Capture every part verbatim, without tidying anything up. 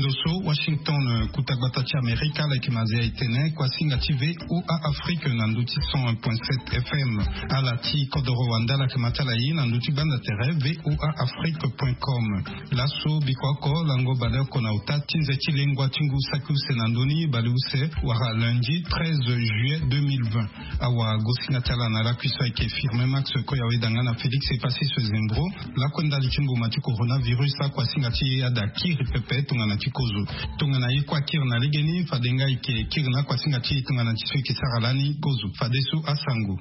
Ndo so Washington, kuta gbata ti Amerika, ala yeke mazia e tene kuasinga ti VOA Afrique na ndö ti cent un point sept F M. Ala ti kodoro wande ala yeke ma ti ala ye na ndö ti gbanda tere VOA Afrique point com. Laso biko oko lango baleoko na ota ti nze ti lengua ti ngu saki use na ndö ni baleuse wala lundi treize juillet deux mille vingt. Awagosinga ti ala na lakui so ayeke Firmin Max Koyawe danga na Félix Epassis Zembro. Lakue ndali ti mbuma ti coronavirus akuasinga ti ye ade akiri pepe tongana ti kozo. Tongana ye kue akiri na legeni fade nga eke kiri na akuasinga ti ye tongana ti so eke sara lani kozo fadeso asango.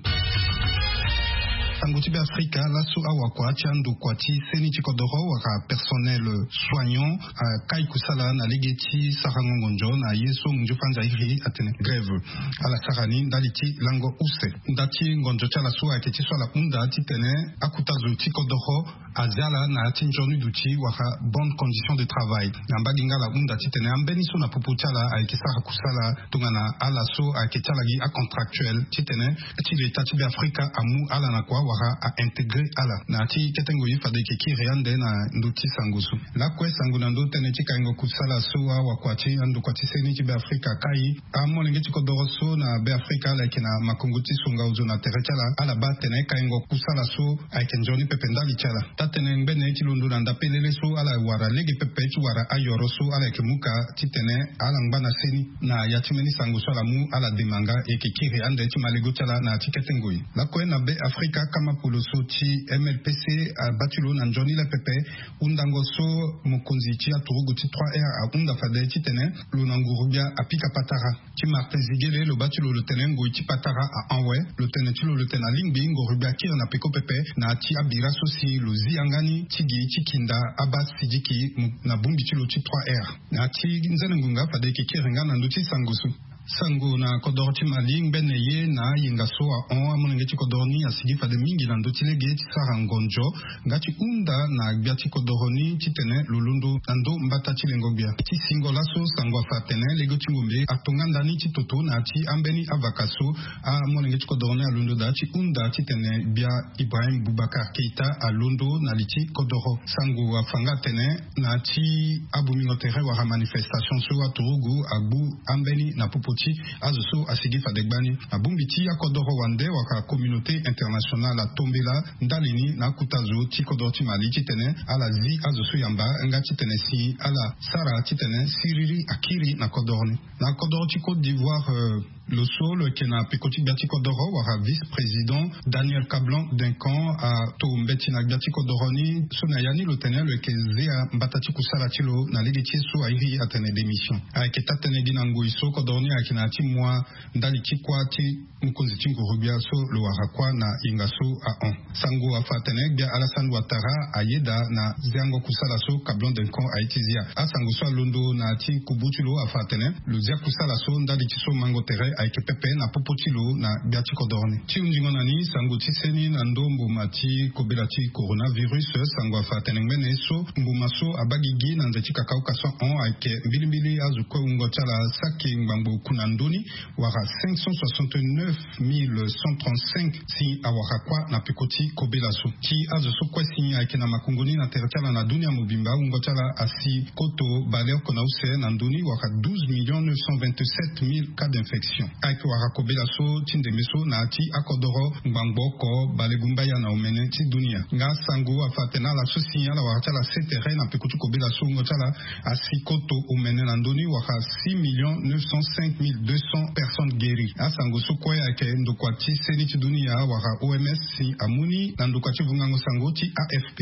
Sango ti Beafrika. Laso awakua ti andokua ti seni ti kodoro wala personnel soignant akai kusala na lege ti sarango ngonzo na ye so munzu fanza iri atene grève. Ala sara ni ndali ti lango use. Nda ti ngonzo ti ala so ayeke ti so ala hunda titene akuta zo ti kodoro azia ala na ya ti nzoni duti wala bonne condition de travail. Na mbage nga ala hunda titene ambeni so na popo ti ala ayeke sara kusala tongana ala so ayeke ti ala gi acontractuel titene ti leta ti Beafrika amu ala na kua wala a intégrer ala. Na ya ti kete ngoi fade eke kiri ande na ndö ti sango so. Lakue sango na ndö tënë ti kaingo kusala so awakua ti andokua ti seni ti Beafrika akai. Amolenge ti kodoro so na Beafrika ala yeke na makongo ti songa ozo na tere ti ala. Ala baa atene kaingo kusala so ayeke nzoni pepe ndali ti ala. Taa-tënë ngbene ti londo na ndapelele so ala wara lege pepe ti wara ayoro so ala yeke mu ka titene ala ngba na seni. Na ya ti mbeni sango so ala mu ala dema nga eke kiri ande ti malego ti ala na ya ti kete ngoi. Lakue na Beafrika kama polo so ti M L P C abaa ti lo na nzoni le pepe. Hundango so mokonzi ti aturugu ti trois R ahunda fade titene lo na nguru-gbia apika patara. Ti Martin Ziguele lo baa ti lo lo tene ngoi ti patara ahon awe. Lo tene ti lo lo tene alingbi nguru-gbia akiri na peko pepe na ya ti abira so si lo zi yanga ni ti gi ti kinda abaa sidiki na bongbi ti lo ti trois R. Na ya ti nzene ngonga fade eke kiri nga na ndö ti sango so. Sango na kodoro ti Mali ngbene ye na ayenga so ahon amolenge ti kodoro ni asigi fade mingi na ndö ti lege ti sara ngonzo nga ti hunda na gbia ti kodoro ni titene lo londo na ndö mbata ti lengo-gbia. Ti singo laso sango afa atene lege ti ngombe atonga nda ni ti toto na ya ti ambeni avaka so amolenge ti kodoro ni alondo daa ti hunda titene gbia Ibrahim Boubacar Keita alondo na li ti kodoro. Sango afa nga atene na ya ti abomingo tere wala manifestation so aturugu agbu ambeni na popo ti azo so asigi fade gbani. Abongbi ti akodoro wande wala communauté internationale atombela ndali ni na akuta zo ti kodoro ti Mali titene ala zi azo so yamba nga titene si ala sara titene siriri akiri na kodoro ni. Na kodoro ti Côte d'Ivoire, euh, lo so lo yeke na peko ti gbia ti kodoro wala vice-président Daniel Kablan Duncan ato mbeti na gbia ti kodoro ni so na ya ni lo tene lo yeke zia mbata ti kusala ti lo na lege ti ye so airi atene démission. Ayeke taa-tënë gi na ngoi so kodoro ni ayeke na ya ti mua ndali ti kuâ ti mokonzi ti nguru-gbia so lo wara kuâ na yenga so ahon. Sango afa atene gbia Alassane Ouattara ayeda na ziango kusala so Kablan Duncan aye ti zia. Asango so alondo na ya ti kubu ti lo afa atene lo zia kusala so ndali ti so mango tere ayeke pepe na popo ti lo na gbia ti kodoro ni. Ti hunzingo na ni sango ti seni na ndö mbuma ti kobela ti coronavirus, sango afa atene ngbene ye so mbuma so abaa gigi na nze ti kakauka so ahon ayeke mbilimbili azo kue wungo ti ala saki ngbangbo oku na ndö ni wala cinq cent soixante-neuf mille cent trente-cinq si awara kuâ na peko ti kobela so. Ti azo so kue si ayeke na makongo ni na tere ti ala na dunia mobimba wungo ti ala asi koto baleoko na use na ndö ni wala douze millions neuf cent vingt-sept mille cas d'infection. Ayeke wala kobela so ti ndembe so na ya ti akodoro ngbangbo oko balegumbaya na omene ti dunia. Nga sango afa atene ala so si ala wara ti ala se tere na peko ti kobela so wungo ti ala asi koto omene na ndö ni wala six millions neuf cent cinq mille deux cents personnes guéries. Asango so kue ayeke ndokua ti seni ti dunia wala O M S si amu ni na ndokua ti vungango sango ti A F P.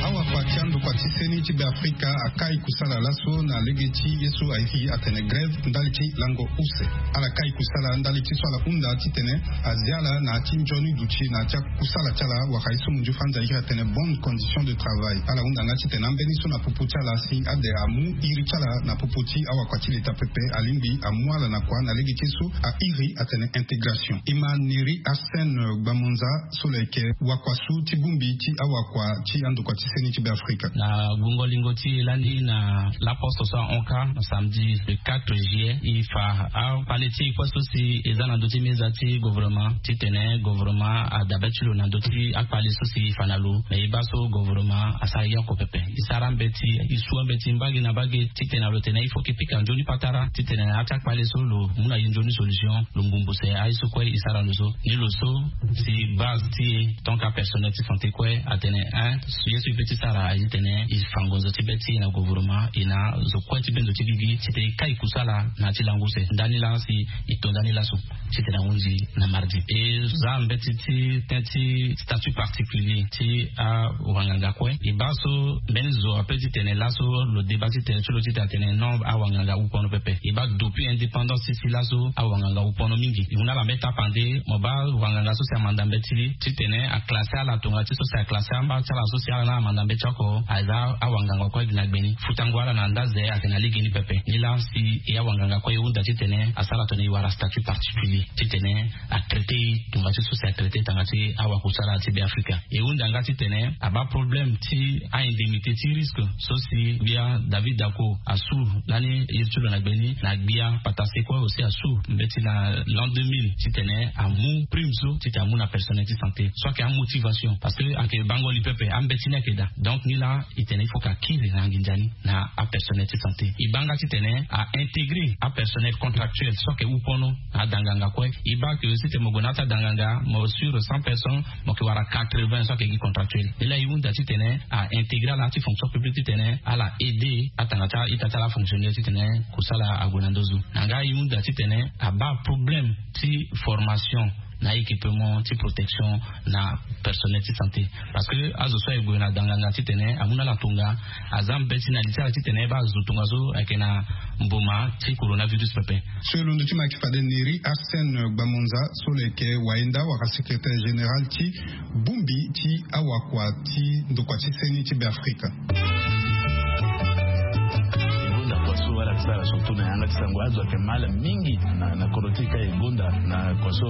Awakua ti andokua ti seni ti Beafrika akai kusala laso na lege ti ye so airi atene grève ndali ti lango use. Ala kai kusala ndali ti so ala hunda titene azia ala na ya ti nzoni duti na ya ti akusala ti ala wala ye so munzu fanza iri atene bonne condition de travail. Ala hunda nga titene ambeni so na popo ti ala si ade amu iri ti ala na popo ti awakua ti leta pepe alingbi amu ala na kua na lege ti ye so airi atene intégration. E ma Neri Arsène Gbamonza so lo yeke wakua so ti bongbi ti awakua ti andokua ti seni ti Beafrika. Na Gungo lingo ti e lani na laposte so ahon kâ na samedi le quatre juillet, e fa akpale ti e kue so si e za na ndö ti meza ti gouvernement titene gouvernement adabe ti lo na ndö ti akpale so si e fa na lo. Me e baa so gouvernement asara ye oko pepe. E sara mbeti, e su ambeti mbage na mbage titene lo tene il faut ke pika nzoni patara titene na ya ti akpale so lo mu na ye nzoni solution. Lo ngbongbose aye so kue e sara lo so. Ni lo so si base ti e tant que apersonnel ti santé kue atene, hein, ye so e pe ti sara aye titene e fa ngonzo ti be ti e na gouvernement, e na zo kue ti be nzo ti gigi titene e kai kusala na ya ti lango use. Ndani laa si e to ndani laso titene ahunzi na mardi. E za mbeti ti ten ti statut particulier ti awanganga kue. E baa so mbeni zo ape titene laso lo deba titene ti lo titene atene non, awanganga awu pono pepe. E baa depuis indépendance ti si laso awanganga awu pono mingi. E hunda ala me tapande mo baa wanganga so si amanda mbeti titene aklase ala tonga ti so si aklase amba ti ala so si ala na amanda mbeti oko aza awanganga kue gi na gbeni. Futango ala na ndaze ayeke na legeni pepe. Ni laa si e awanganga kue e hunda titene asara tongana e wara statut particulier titene atraité e tonga ti so si atraité tanga ti awakusala ti Beafrika. E hunda nga titene abaa problème ti a-indemnité ti risque so si gbia David Dacko asu lani iri ti lo na gbeni na gbia Patase kue aussi asu mbeti na l'an deux mille titene amu prime so titene amu na personnel ti santé so ayeke amotivation parce que ayeke bango li pepe, ambeti ni ayeke daa. Donc ni laa e tene il faut ke akiri na nginza ni na apersonnel ti santé. E baa nga titene a-intégrer apersonnel contractuel so ayeke wu pono na adanganga kue. E baa ke aussi titene mo gue na ya ti adanganga mo sur cent personnes mo yeke wara quatre-vingts so ayeke gi contractuel. Ni laa e hunda titene a-intégrer ala na ya ti fonction publique titene ala aider atanga ti a-ita ti ala afonctionnaire titene kusala ague na nduzu. Na nga e hunda titene abaa problème ti formation na équipement ti protection na personnel ti santé. Parce que azo so aye gue na danganga titene amu na ala tonga, aza mbeti na li ti ala titene e baa azo tongaso ayeke na mboma ti coronavirus pepe. So e londo ti ma ayeke fade Neri Arsène Gbamonza so lo yeke wayenda wala secrétaire général ti bongbi ti awakua ti ndokua ti seni ti Beafrika. E gonda kua so ala yeke sara surtout na yanga ti sango, azo ayeke ma ala mingi na, na kodro ti e ka e gonda na kua so,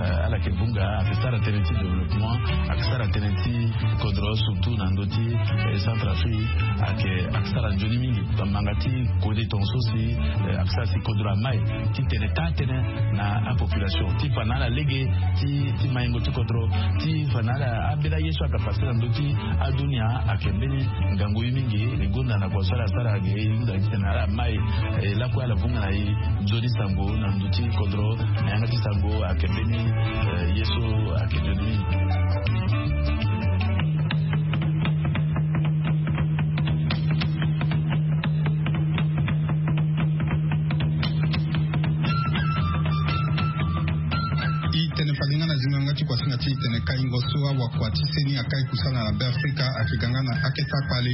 eh, ala yeke vunga, ayeke sara tënë ti développement, ayeke sara tënë ti kodro surtout na ndö ti, eh, Centrafrique, ayeke, ayeke sara nzoni mingi. Tongana manga ti kode tongaso si, eh, ayeke sara si kodro amai titene taa tënë na apopulation ti fa na ala lege ti, ti maingo ti kodro, ti fa na ala ambeni aye so ayeke passe na ndö ti adunia. Ayeke mbeni ngangu ye mingi. E gonda na kua so ala sara ge e hunda titene ala mai, eh, lakue ala vunga na e nzoni sango na ndö ti kodro na yanga ti sango ayeke mbeni, eh, ye so ayeke nzoni mingi. E tene fade nga na zingo yanga ti kuasinga ti e tene kaingo so awakua ti seni akai kusala na Beafrika ayeke ga nga na akete akpale.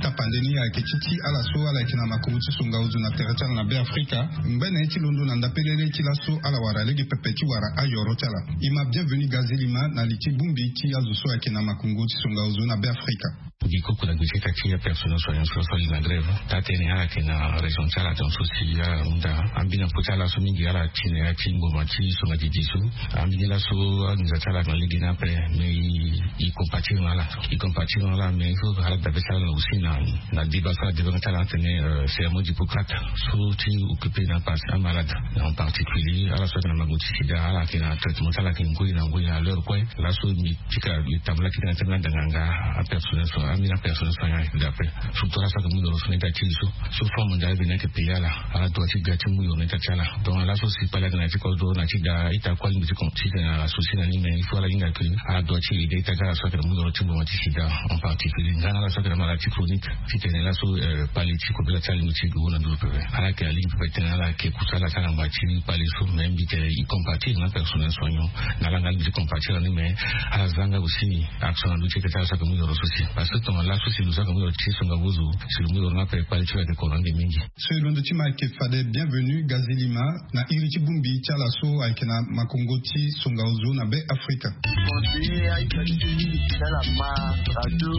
Tapande ni ayeke ti ti ala so ala yeke na makongo ti songa ozo na tere ti ala na Beafrika. Ngbene ye ti londo na ndapelele ti laso ala wara lege pepe ti wara ayoro ti ala. E ma Bienvenu Gazilima na li ti bongbi ti azo so ayeke na makongo ti songa ozo na Beafrika. Gi koko na gbeta ti apersonnel soignant so, so ali na grève. Taa tënë ala yeke na région ti ala tongaso si ala hunda ambeni apo ti ala so mingi ala ti na ya ti ngboma ti songa didi so. Ambeni laso anginza ti ala ayeke na lege ni ape. Mais e, e compatir na ala, e compatir na ala, mais il faut ala dabe ti ala aussi na, na débat so ala débat nga ti ala atene, euh, cérémonie d'Hippocrate so ti occupé na parti amalade, en particulier ala so ayeke na mango ti sida, ala yeke na traitement ti ala ayeke ngoi na ngoi na l'heure kue. Laso mbi pika mbi tambula ti tena ti ambeni adanganga, apersonnel so, ambeni apersonnel so ayeke daa ape. Surtout ala so ayeke mu yoro so na ita ti e so, so Fonds Mondial ayeke payer ala, ala doit ti ga ti mu yoro na ita ti ala. Donc laso si kpale ayeke na ya ti kodro na ti da ita kue alingbi ti kon ti tene ala souci na ni, mais il faut ala hinga ke ala doit ti aider ita ti ala so ayeke na mu yoro ti ngboma ti sida, en particulier nga na ala so ayeke na maladie chronique. Titene laso, eh, kpale ti kobela ti ala alingbi ti gue na nduru pepe. Ala yeke alingbi pepe titene ala yeke kusala ti ala na ngba ti kpale so, mais mbi tene e compatir na apersonnel soignant. Na ala nga alingbi ti compatir na ni, mais ala za nga aussi action na ndö ti ita ti ala so ayeke mu yoro so si. Parce que tongana laso si lo so ayeke mu yoro ti songa ozo, si lo mu yoro ni ape, kpale ti lo ayeke koro ande mingi. So e londo ti ma ayeke fade Bienvenu Gazilima na iri ti bongbi ti ala so ayeke na makongo ti songa ozo na Beafrika. Conseiller a-ita ti e mingi ti ala ma radio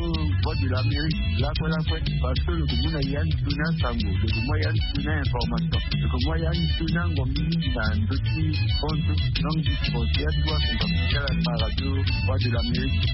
Voix de l'Amérique lakue lakue, parce que lo yeke mu na ya ni toni asango, lo yeke mu ya ni toni a-information, lo yeke mu ya ni toni ango mingi na ndö ti hon ti langue ti français. Ya ti wa ti ala ma radio Voix de l'Amérique.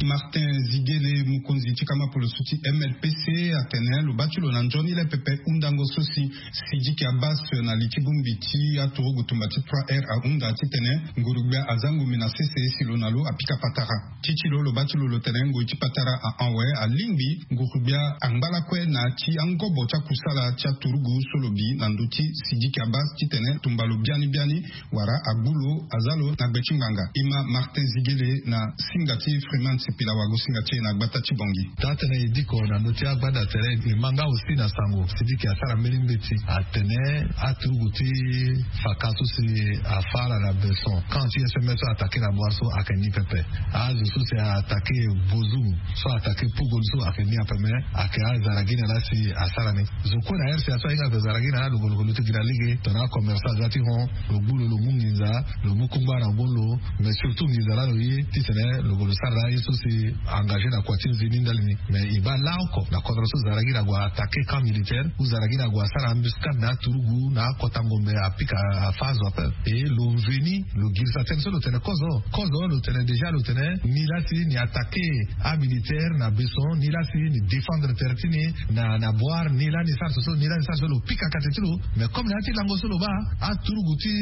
Martin Ziguele Mukuna. Mokonzi ti kama poloso ti M L P C atene lo baa ti lo na nzoni le pepe hundango so si Sidiki Abbas na li ti bongbi ti aturugu tumba ti trois R ahunda titene nguru-gbia aza ngombe na sese si lo na lo apika patara. Ti ti lo lo baa ti lo lo tene ngoi ti patara ahon awe alingbi nguru-gbia angba lakue na ya ti angobo ti akusala ti aturugu so lo bi na ndö ti Sidiki Abbas titene tumba lo biani biani wala agbu lo aza lo na gbe ti ngbanga. Ima Martin Zigele na singa ti Freeman Sipila wago singa ti e na gbata ti Bongi. Taa tënë e diko na ndö ti agbanda tere e ma nga aussi na sango Sidiki asara mbeni mbeti atene aturugu ti faka so si afa ala na beson kan ti S M S so atake na boire so ayeke ni pepe. Azo so si atake Bozum so atake Pugol so ayeke ni ape me ayeke azaragina laa si asara ni. Zo kue na R C A so ahinga ayeke zaragina laa lo golo golo ti gi na lege tongana acommerçant aza ti hon lo gbu lo lo mu nginza lo mu kungba na ngbongo lo. Mais surtout nginza laa lo ye titene lo golo sara laa ye so si engagé na kua ti nzoni ndali ni. Mais e baa laa oko na kodro so zaragina ague atake camp militaire ou zaragina ague asara embuscade na aturugu na akota ngombe apika afa azo ape. E lo veni lo girisa tënë so lo tene kozo kozo lo tene déjà lo tene ni laa si ni atake amilitaire na beson ni laa si ni défendre tere ti ni na na boire ni laa ni sara so so ni laa ni sara so lo pika kate ti lo. Mais comme na ya ti lango so lo baa aturugu ti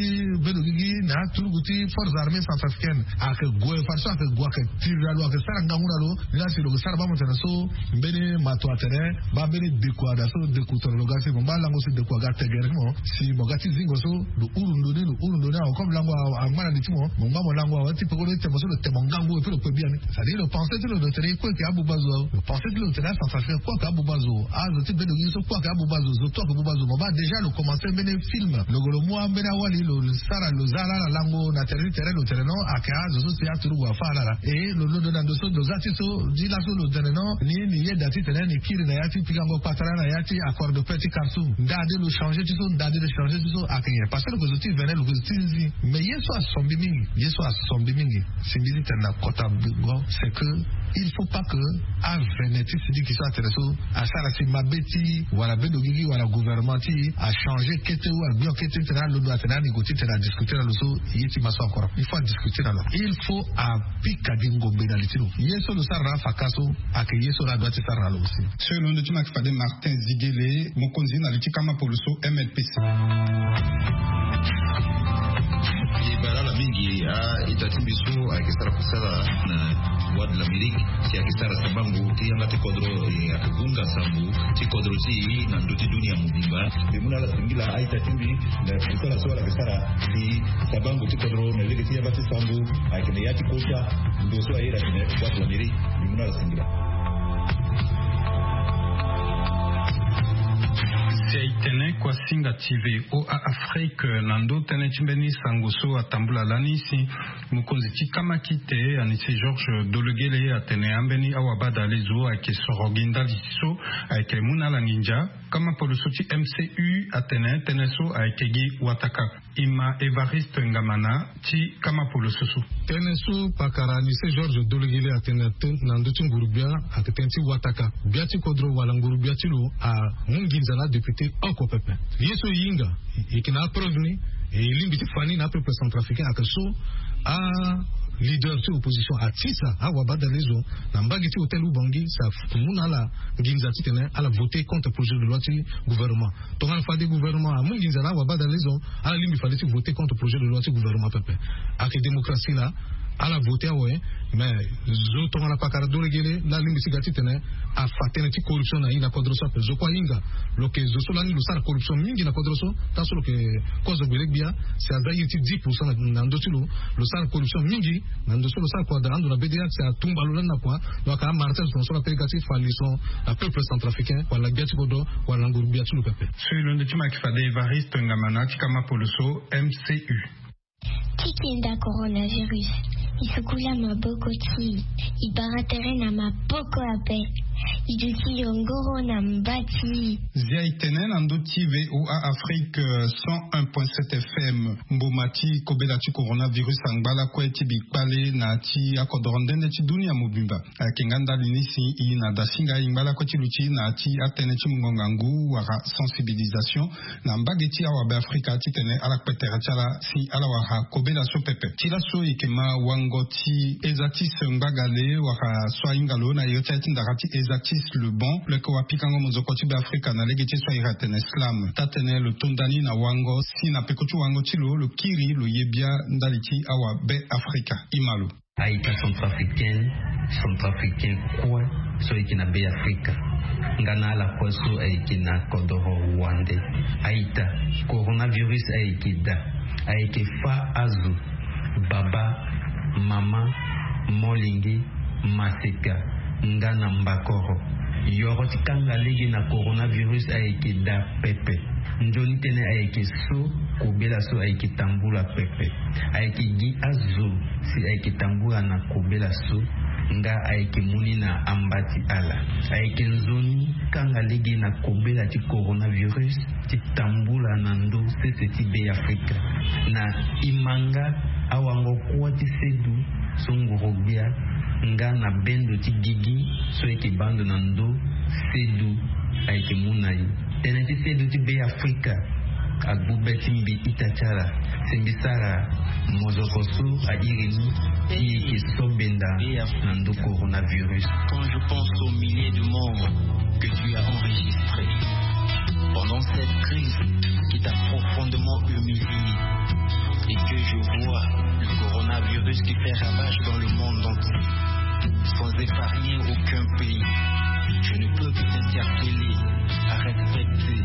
bendo gigi na aturugu ti force armée centrafricaine ayeke gue fade so ayeke gue ayeke tiri na lo ayeke sara ngangu na lo. Ni laa si lo yeke sara baa mo tene so mbeni mato atene baa mbeni deku ada so deku tongana lo ga si mo baa lango si deku aga tegere ti mo si mo ga ti zingo so lo huru ndo ni lo huru ndo ni awe comme lango angba na li ti mo mo ngba mo lango awe ti pekoni temo so lo temo ngangu epui lo kpe biani. C'est-à-dire lo pensé ti lo lo tene e kue ayeke abuba zo. Lo pensé ti lo lo tene acentrafricain kue ayeke abuba zo. Azo ti bendo gigi so kue ayeke abuba zo zo tout ayeke buba zo mo baa déjà lo commencé mbeni film lo golo mu ambeni awali lo sara lo za ala na lango na tere ti tere lo tene non ayeke azo so si aturugu afa ala ala. E lo londo na ndo so lo za ti so ti laso lo tene non ni ni yeda titene ni kiri na ya ti pikango patara na ya ti accord de paix ti Khartoum ndade lo changé ti so ndade lo changé ti so ayeke nyen parce que lo ke zo ti vene lo ke zo ti nzi. Mais ye so asombi mingi ye so asombi mingi si mbi ti tene na kota bingo c'est que il faut pas que avene ti Sidiki so atene so asara si mabe ti wala bendo gigi wala gouvernement ti achangé kete ou agbi en kete titene alondo atene ani go titene adiscuté na lo so ye ti ma so encore il faut adiscuté na lo il faut apika gi ngombe na li ti lo. Ye so lo sara na afaka so ayeke ye so lo adoit ti sara na lo aussi. So e londo ti ma yeke fade Martin Zigele mokonzi na li ti kama poloso M L P C. E baa ala mingi a-ita ti mbi so ayeke sara kusala na Voix de l'Amérique si ayeke sara sabango ti yanga ti kodro e ayeke hunga sango ti kodro ti e na ndö ti dunia mobimba. Mbi mu na ala singila a-ita ti mbi na kusala so ala yeke sara si sabango ti kodro na lege ti yanga ti sango ayeke na ya ti kota ndo so aye na tene Voix de l'Amérique. Mbi mu na ala singila. Si aye tene kua singa ti V O A Afrique na ndö tënë ti mbeni sango so atambula lani si mokonzi ti kama kite ani si Georges Dologuélé atene ambeni awabadale zo ayeke soro gi ndali ti so ayeke mu na ala nginza. Kama poloso ti M C U atene tënë so ayeke gi wataka. Ima Évariste Ngamana ti kama poloso so. Tënë so pakara ni se Georges Dologuélé atene na ndö ti nguru-gbia ayeke tënë ti wataka. Gbia ti kodro wala nguru-gbia ti lo amu nginza na adéputé oko pepe. Ye so e hinga e yeke na apreuve ni e lingbi ti fa ni na apeuple centrafricain ayeke so aleader ti opposition atisa awabadale zo na mbage ti hôtel Oubangui si amu na ala nginza titene ala voté contre projet de loi ti gouvernement. Tongana fade gouvernement amu nginza na awabadale zo ala lingbi fade ti voté contre projet de loi ti gouvernement pepe. Ayeke démocratie laa ala voté awe. Mais zo tongana pakara Dologuélé laa alingbi ti ga titene afa tënë ti corruption na e na kodro so ape zo kue ahinga. Lo yeke zo so lani lo sara corruption mingi na kodro so. Taa so lo yeke kozo gbele-gbia si aza ye ti dix pour cent na ndö ti lo. Lo sara corruption mingi na ndo so lo sara kua daa ando na B D A si atumba lo lani na kua. Donc amartin zo tongana so la pega ti fa leçon na peuple centrafricain wala gbia ti kodro wala na nguru-gbia ti lo pepe. So e londo ti ma yeke fade Évariste Ngamana ti kama poloso M C U. Ti kenda coronavirus. E sukula maboko ti e. E bara tere na maboko ape. I duti yo ngoro na mba ti. Zia e tene na ndö ti VOA Afrique, cent un point sept FM. Mboma ti kobela ti coronavirus angba lakue ti bikpale na ya ti akodoro ndende ti dunia mobimba. Ayeke nga ndali ni si i na dasinga i ngba lakue ti luti na ya ti atënë ti mongongo ngu wala sensibilisation na mbage ti awabe Afrika titene ala kpe tere ti ala si ala wara kobela so pepe. Ti laso e yeke ma wango ti Esatis Ngbagale wala so ahinga lo na iri ti aye ti ndara ti Esatis Le Bon, lo yeke wapikango mozoko ti Be Afrika na lege ti so a iri atene slam. Taa-tënë lo to nda ni na wango si na peko ti wango ti lo lo kiri lo ye bia ndali ti awabe Afrika. I ma lo. Aita centrafricaine, centrafricain kue so ayeke na Be Afrika nga na ala kue so ayeke na kodoro wande. Aita, coronavirus ayeke daa, ayeke fâ azo, baba, mama, molenge, maseka, nga na mbakoro. Yoro ti kanga lege na coronavirus ayeke daa pepe. Nzoni tënë ayeke so kobela so ayeke tambula pepe. Ayeke gi azo si ayeke tambula na kobela so, nga ayeke mu ni na amba ti ala. Ayeke nzoni kanga lege na kobela ti coronavirus ti tambula na ndö sese ti Be Afrika. Na i ma nga awango kuâ ti sedu so nguru gbia, nga na bendo ti gigi so ayeke baa ndo na ndö sedu ayeke mu na i. Tënë ti sedu ti Be Afrika agbu be ti mbi ita ti ala si mbi sara mozoko so a iri ni ti yeke so benda na ndö coronavirus. Quand je pense aux milliers de morts que tu as enregistrés pendant cette crise qui t'a profondément humilié et que je vois le coronavirus qui fait ravage dans le monde entier, sans épargner aucun pays, je ne peux que t'interpeller à respecter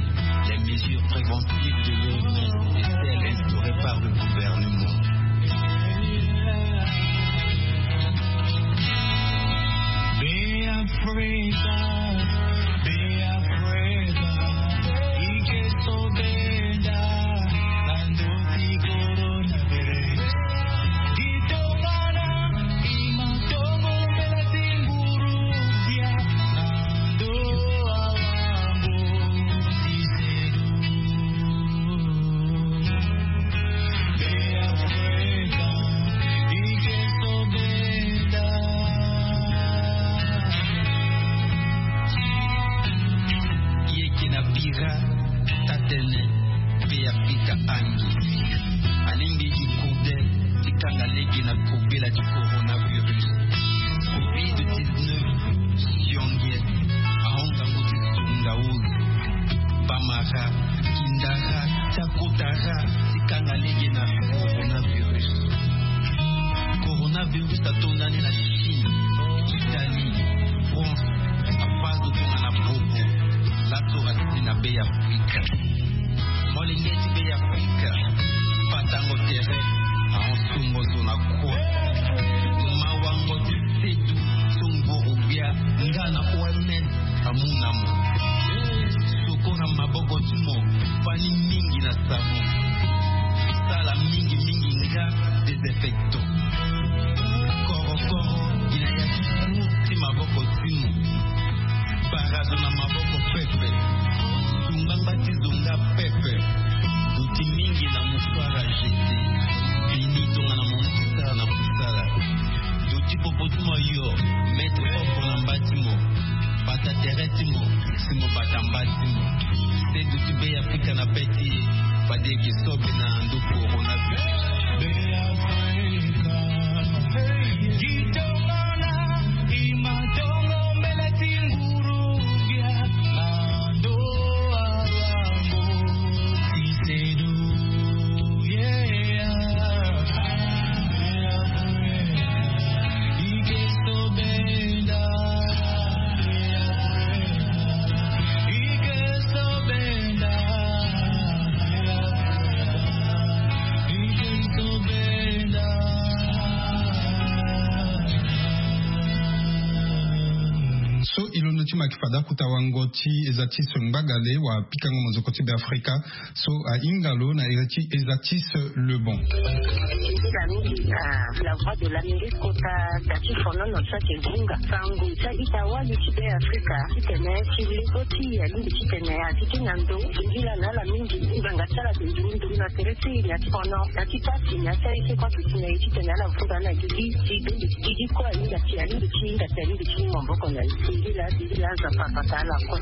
les mesures préventives de l'O M S et celles instaurées par le gouvernement. Be Afrika, Be Afrika, i ke so benda na ndö ti coronavirus. Di tongana i ma tongo mbela ti nguru gbia na ndö awango ti sedu. Be Afrika, i ke so benda. I yeke na bira taa-tënë Be Afrika angi. Alingbi gi kode ti kanga lege na kobela ti coronavirus. Covid dix-neuf sionge ahon ngangu ti sunga ulu, bamara, kindara ti akotara ti kanga lege na coronavirus. Coronavirus ato ndani na Chine, Italie, France, afa azo tongana bobo. Laso atindi na Be Afrika. Molenge ti Be Afrika, batango tere ahon sungo zo na kue. Mawango ti sedu so nguru gbia nga na O M S amu na mo. Sukula maboko ti mo fani mingi na savon. Sala mingi mingi nga désinfectant. Korokoro i na ya ti cour ti maboko ti mo. Bara zo na maboko pepe. Sunga ngba ti zo nga pepe. Duti mingi na mouchoir à jeter. Bini tongana mo mu ti sara na kusala. Duti popo ti mo ayo, mettre oko na mba ti mo. Bata tere ti mo si mo bata mba ti mo. Sedu ti Be Afrika na be ti e, fade e ke so be na ndo coronavirus. Be Afrika, gi tongana i ma tongo mbela ti nguru gbia na ndo awango ti sedu. Fade akuta wango ti eza ti se ngbagale wa pikango mozoko ti be afrika so ahinga lo na eza ti eza ti se lebon. Eza mingi na la voix de l'amérique kota da ti fonono so ake gunga sango ti ita wali ti be afrika titene ti lego ti ya lindi titene ati ti na ndo. Ngila na ala mingi nganga ti ala ti nduru nduru na tere ti na ti fono na ti pasi na ti aye ti kua titene ye titene ala vunda na gigi ti bende ti gigi kue alinga ti alinga ti hinga ti alinga ti maboko na ye. Singila singila aza papa ta ala kue.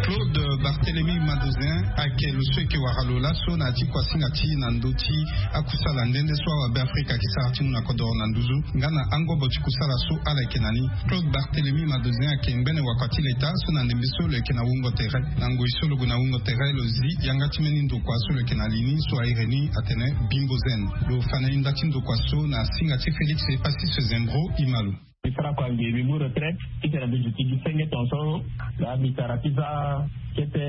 Claude Barthélemy Madozin ake lo so eke wara lo laso na ya ti kuasinga ti na ndö ti akusala nde nde so awabe afrika ake sara ti mu na kodoro na nduzu nga na angobo ti kusala so ala yeke na ni. Claude Barthélemy Madozin ake ngbene wakua ti leta so na ndembe so lo yeke na wungo tere. Na ngoi so lo gue na wungo tere lo zi yanga ti mbeni ndokua so lo yeke na li ni so airi ni atene Bimbo Zen. Lo fa na ni nda ti ndokua so na singa ti Félix Epasis Zembro. Ima lo. Mbi sara kua mbi mbi mu retraite titene mbi duti gi senge tongaso. Laa mbi tara ti za kete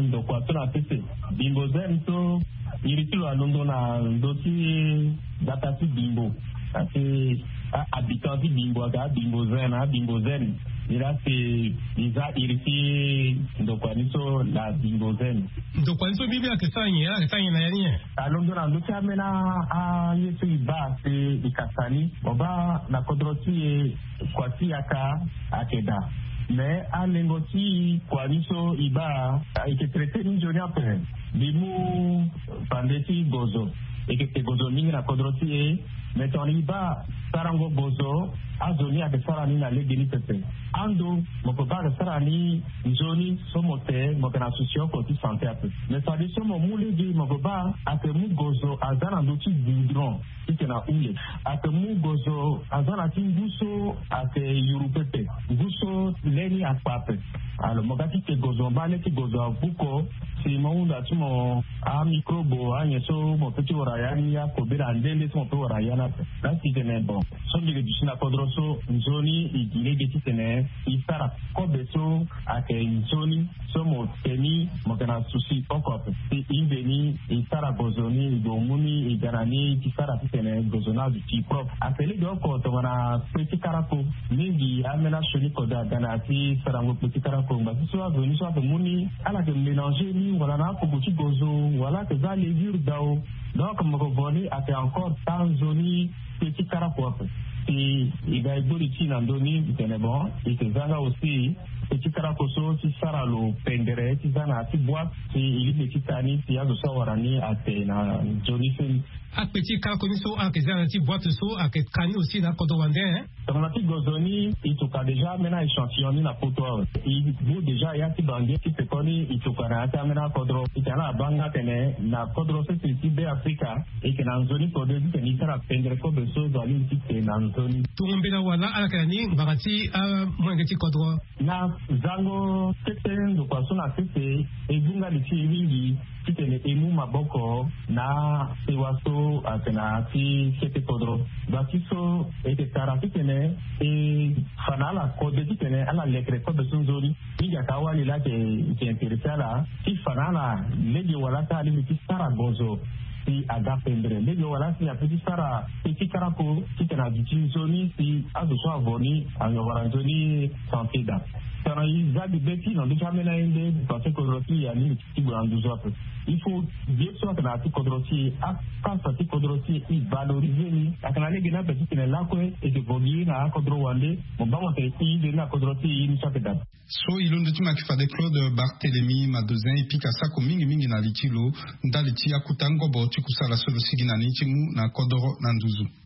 ndokua so na sese Bimbo Zen so iri ti lo alondo na ndö ti gbata ti Bimbo. Asi ahabitant ti Bimbo aga Bimbo Zen na Bimbo Zen. Ni laa si mbi za iri ti ndokua ni so na Bimbo Zen. Ndokua ni so mbi mbi ayeke sara nyen? Ala yeke sara nyen na ya ni nyen? Alondo na ndö ti ambeni aye so e baa si e kasa ni mo baa na kodro ti e. Kua ti yaka ayeke daa. Me alengo ti kua ni so e baa e yeke traite ni nzoni ape. Mbi mu fande ti gozo. E yeke te gozo mingi na kodro ti e. Me tongana e baa sarango gozo azo ni ayeke sara ni na lege ni pepe. Ando mo pe baa ayeke sara ni nzoni so mo te mo yeke na susi oko ti sante ape. Me fadeso mo mu lege mo pe baa ayeke mu gozo aza na ndö ti goudron. Ti tene ahunde ake mu gozo aza na ti ngu so ake yuru pepe. Ngu so le ni akpa ape. Alors mo ga ti te gozo mo baa le ti gozo avuko. Si mo hunda ti mo amicrobe anyen so mo pe ti wara ya ni akobela nde nde so mo pe wara ya ni ape. Laa si tene bon so mbi ke duti na kodro so nzoni e gi lege ti tene e sara kobe so ake nzoni so mo te ni mo yeke na susi oko ape. Si e nde ni e sara gozo ni e gue mu ni e ga na ni ti sara titene gozo ni aduti propre. Ake lege oko tongana kpe ti karako. Mingi ambeni asioni kode aga na ya ti sarango kpe ti karako ngba ti so azo ni so ake mu ni ala yeke mélanger ni wala na akoko ti gozo wala ake za levure dao. Donc mo yeke vo ni ake encore taa nzoni kpe ti karako ape. Si e ga e gbori ti e na ndö ni e tene bon e yeke za nga aussi kpe ti karako so ti sara lo pendere ti za na ya ti boite. Si e lingbi ti taa ni si azo so awara ni ate na nzoni so ni. Akpe ti karako ni so ayeke za na ya ti boite so ayeke ka ni aussi na akodro wande. Tongana ti gozo ni e tuka déjà ambeni a-échantillon ni na poto awe. E bu déjà ya ti bange ti pekoni e tuka na ya ti ambeni akodro e tene ala baa nga tene na kodro sese ti be afrika. E yeke na nzoni kode ti tene e sara pendere kobe so zo alingbi ti te na nzoni. Tongo mbela wala ala yeke na ni ngbanga ti amolenge ti kodro. Na zango kete ndokua so na sese e gunga li ti e mingi titene e mu maboko na sewa so ayeke na ya ti kete kodro. Ngba ti so e yeke tara titene e fa na ala kode titene ala lekere kobe so nzoni. Mingi ayeke awali laa ayeke intéressé ala ti fa na ala lege wala ti alingbi ti sara gozo. Si aga pendere lege wala si ape ti sara kpe ti karako titene aduti nzoni si azo so avo ni awara nzoni santé daa. Tongana e za gbe ti na ndö ti ambeni aye nde parce que kodro ti e alingbi ti gue na nduzu ape. Il faut ye so ayeke na ya ti kodro ti e apasa ti kodro ti e e valoriser ni ayeke na lege ni ape titene lakue e yeke vo gi na akodro wande. Mo baa mo tene e nde ni na kodro ti e ye ni so ayeke daa. So e londo ti mo ayeke fade Claude Barthélemy Madozin e pika sako mingi mingi na li ti lo ndali ti akuta ngobo ti kusala so lo sigi na ni ti mu na kodoro na nduzu.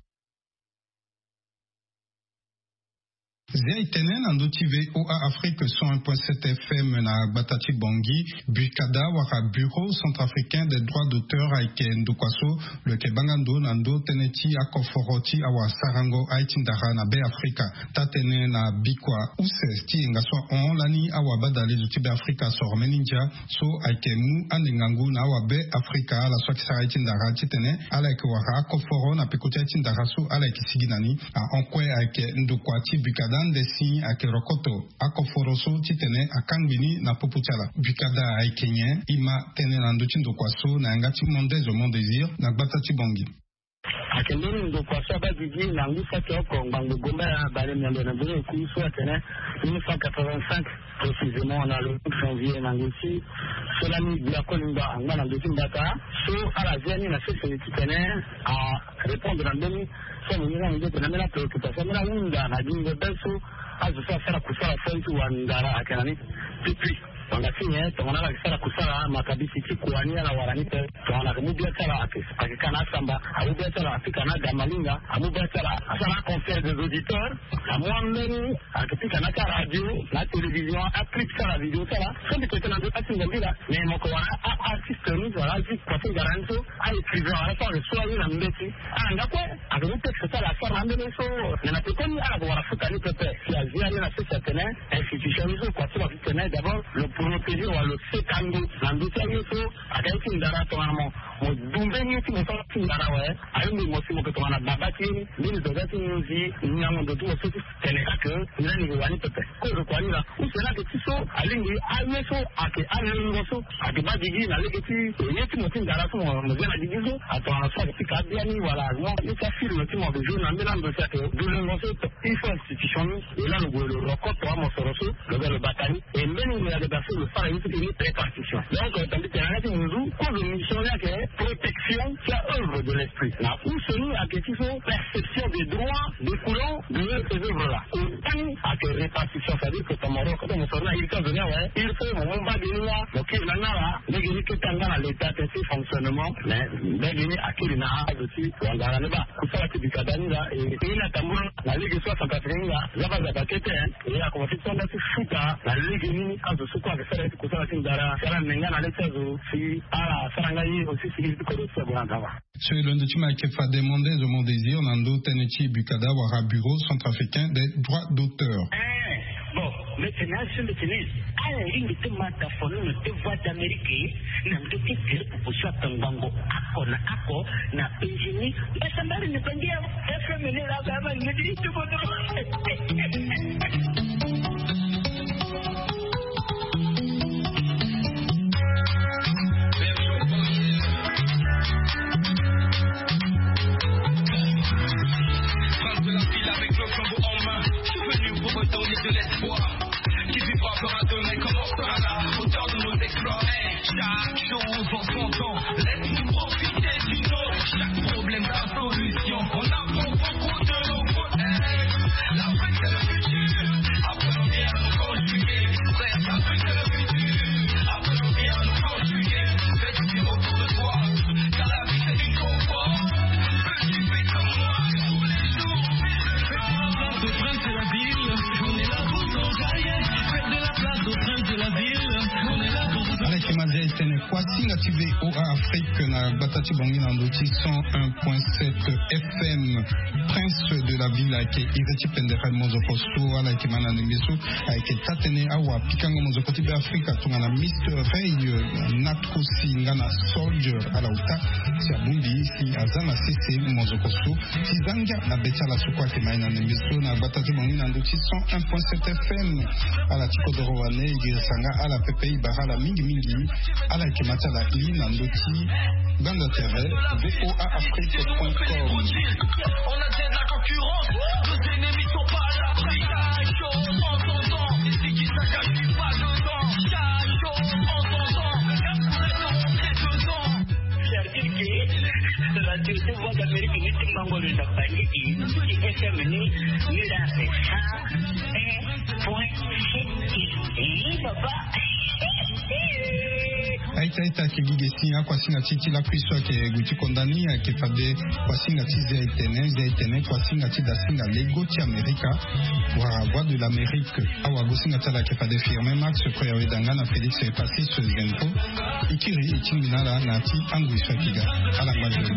Zia e tene na ndö ti VOA Afrique cent un point sept F M na gbata ti Bangui. Bucada wala Bureau centrafricain des droits d'auteur ayeke ndokua so lo yeke baa nga ndo na ndö tënë ti akoforo ti awasarango aye ti ndara na Be Afrika. Taa-tënë na bikua use ti yenga so ahon lani awabadalezo ti Be Afrika asoro mbeni ndia so ayeke mu ande ngangu na awabe Afrika ala so ayeke sara aye ti ndara titene ala yeke wara akoforo na peko ti aye ti ndara so ala yeke sigi na ni. Ahon kue ayeke ndokua ti Bucada ande si ayeke rokoto akoforo so titene akangbi ni na popo ti ala. Bucada ayeke nyen? E ma tënë na ndö ti ndokua so na yanga ti Mondes au Mon Désir na gbata ti Bangui. Ayeke mbeni ndokua so abaa gigi na ngu saki oko ngbangbo gombaya bale miombe na mbeni eku so atene mille neuf cent quatre-vingt-cinq, précisément na le cinq janvier na ngoi ti so lani gbia koli ngba angba na ndö ti mbata so ala zia ni na sese titene arépondre na mbeni so mo ni na mo nde tene ambeni apréoccupation ambeni ahunda na gingo be so azo so asara kusala so aye ti wandara ayeke na ni. Depuis tongana ti nyen? Tongana ala yeke sara kusala makabisi ti kua ni ala wara ni pe. Tongana ayeke mu bia ti ala ayeke, ayeke ka na asamba, amu bia ti ala apika na agamalinga, amu bia ti ala asara aconseil des auditeurs, amu ambeni ayeke pika na ti aradio na atélévision, aclip ti ala, video ti ala so mbi tene na ndo ti atingo mbila. Mais mo yeke wara a-artiste ni wala azi kua ti ngara ni so, a-écrivain wala so ayeke so aye na mbeti. Ala nga kue ayeke mu texte ti ala asara na ambeni so. Mais na pekoni ala yeke wara futa ni pepe si azi ani na sese atene institution ni so kua ti lo ayeke tene d'abord lo protéger wala lo seka ndo na ndö ti aye so ayeke aye ti ndara tongana mo mo du mbeni ye ti mo so ti ndara awe. Alingbi mo si mo yeke tongana baba ti ye ni mbeni zoga ti nginzi nyango ndo ti mo so ti tene ka ke ni lani yeke wani pepe. Kozo kua ni laa use ni ayeke ti so alingbi aye so ayeke alengo so ayeke baa gigi na lege ti ye ti mo ti ndara so mo zia na gigi so. Atongana so ayeke ti ka abia ni wala mo ye ti afilme ti mo ayeke joue na mbeni ando si ayeke du lengo so. Il faut institution ni e laa lo gue lo rokoto amosoro so lo ga lo bata ni. E mbeni ngoi ayeke daa so lo sara ye so ti ni préparation. Donc tandis que na ya ti munzu kozo mission ni ayeke protection ti aœuvre de l'esprit na use ni ayeke ti so perception des droits découlant de ces œuvres là. Kota ni ayeke répartition, c'est-à-dire que tongana mo rokoto mosoro ni na iri ti azo ni awe, iri so mo mu mbage ni laa mo kiri na ni ala lege ni kete anga na l'état ti fonctionnement. Mais mbage ni akiri na azo ti wandara ni baa kusala ti bika da ni laa e ni atambula na lege so acentrafricain ni laa za baa za baa kete. E akomanse ti sara nga ti futa na lege ni azo so kue ayeke sara ye ti kusala ti ndara si ala ne nga na le ti azo si ala sara nga ye aussi si iri ti kodro ti ague na nzapa. So e londo ti ma ayeke fade Mondes au Mon Désir na ndö tënë ti bukada wala Bureau centrafricain des droits d'auteur. Eh, bon, mbi tene azo mbi tene ala lingbi ti ma tafono na te Voix d'Amérique na ndö ti tere popo so atongbango ako na ako na penzi ni. Mbasambari ni bangi ya F M ni la ba ma ngedi ti bodo. Prince de la ville avec le flambeau en main, je suis venu pour redonner de l'espoir. Qui vivra fera demain comme on sera là, auteur de nos exploits. Hey, chaque chose en son temps, laisse-nous profiter du nôtre. Chaque problème a solution, on apprend beaucoup de nos fautes. Hey, l'Afrique c'est le futur, apprenons bien à nous conjuguer. Frère, l'Afrique c'est le futur, apprenons bien à nous conjuguer. Fais du bien autour de toi, car la vie c'est une conquête. Fais du bien comme moi, tous les jours. Fais du bien. Au prince de la ville, on est là pour nous. Faites de la place au prince de la ville, on est là pour vous. Ala yeke ma zia e tene kuâ singa ti VOA Afrique na gbata ti Bangui na ndö ti cent un point sept F M. Prince de la ville ayeke iri ti pendere mozoko so ala yeke ma na ndembe so ayeke taa-tënë awapikango mozoko ti Be Afrika tongana Mister Ray, euh, Natrosi nga na Soldier ala ota si abongbi si aza na sese mozoko so ti za ngia na be ti ala so kue ayeke ma e na ndembe so na gbata ti Bangui na ndö ti cent un point sept F M. Ala ti kodoro wane e girisa nga ala pepe e bara ala mingimingi. Ala yeke ma ti ala iri na ndö ti gbanda tere VOA Afrique point com. On a déjà de la concurrence, nos ennemis sont pas à l'abri. Chaque chose en son temps, ici qui saccage, je suis pas dedans. Chaque chose en son temps, le gars pourrait te rentrer dedans. C'est-à-dire que la direction Voix d'Amérique ni ti mango de la panique, ni F M ni, ni la c'est ça. Un point sept. Eh, papa. Aye Sait ayeke gi ge si akuasinga ti e ti lakui so ayeke gue ti konda ni ayeke fade kuasinga ti zia etene zia etene kuasinga ti dasinga lego ti amerika. Wala voix de l'amérique. Awagosinga ti ala ayeke fade firme max koya weda nga na félix epasis. Zenfo. E kiri e tingbi na ala na ya ti angui so ayeke ga. Ala ngba nzoni.